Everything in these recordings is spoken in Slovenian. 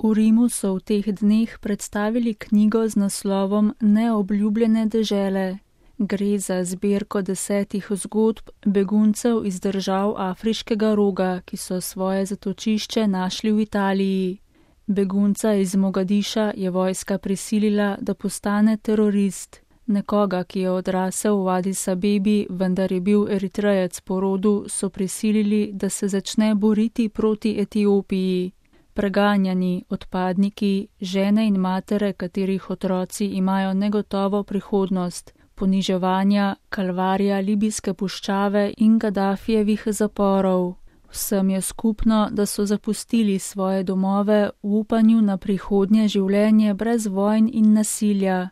V Rimu so v teh dneh predstavili knjigo z naslovom Neobljubljene dežele. Gre za zbirko 10 zgodb beguncev iz držav Afriškega roga, ki so svoje zatočišče našli v Italiji. Begunca iz Mogadiša je vojska prisilila, da postane terorist. Nekoga, ki je odrasel v Adis Abebi, vendar je bil Eritrejec po rodu, so prisilili, da se začne boriti proti Etiopiji. Preganjani, odpadniki, žene in matere, katerih otroci imajo negotovo prihodnost, poniževanja, kalvarija libijske puščave in Gadafijevih zaporov. Vsem je skupno, da so zapustili svoje domove v upanju na prihodnje življenje brez vojn in nasilja.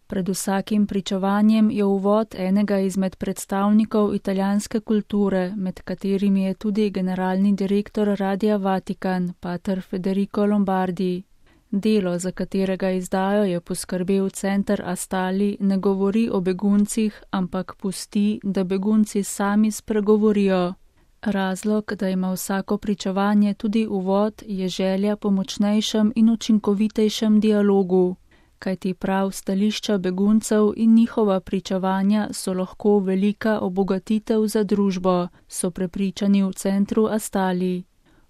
Pred vsakim pričevanjem je uvod enega izmed predstavnikov italijanske kulture, med katerimi je tudi generalni direktor Radia Vatikan, pater Federico Lombardi. Delo, za katerega izdajo je poskrbel center Astali, ne govori o beguncih, ampak pusti, da begunci sami spregovorijo. Razlog, da ima vsako pričevanje tudi uvod, je želja po močnejšem in učinkovitejšem dialogu. Kajti prav stališča beguncev in njihova pričevanja so lahko velika obogatitev za družbo, so prepričani v centru Astali.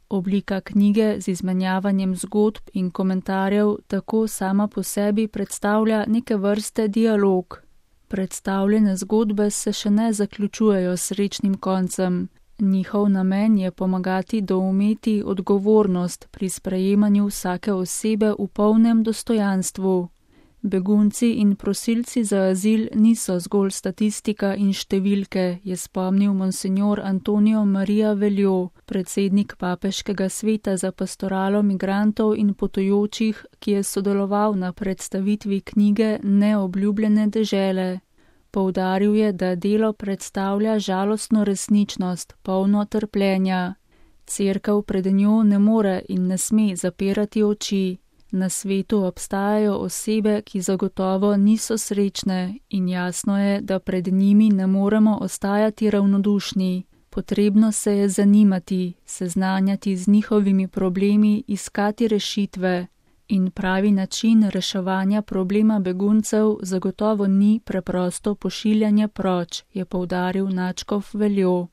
Oblika knjige z izmenjavanjem zgodb in komentarjev tako sama po sebi predstavlja neke vrste dialog. Predstavljene zgodbe se še ne zaključujejo s srečnim koncem. Njihov namen je pomagati doumeti odgovornost pri sprejemanju vsake osebe v polnem dostojanstvu. Begunci in prosilci za azil niso zgolj statistika in številke, je spomnil monsignor Antonio Maria Veljo, predsednik Papeškega sveta za pastoralo migrantov in potujočih, ki je sodeloval na predstavitvi knjige Neobljubljene dežele. Poudaril je, da delo predstavlja žalostno resničnost, polno trpljenja. Cerkev pred njo ne more in ne sme zapirati oči. Na svetu obstajajo osebe, ki zagotovo niso srečne in jasno je, da pred njimi ne moremo ostajati ravnodušni. Potrebno se je zanimati, seznanjati z njihovimi problemi, iskati rešitve. In pravi način reševanja problema beguncev zagotovo ni preprosto pošiljanje proč, je poudaril nadškof Veljo.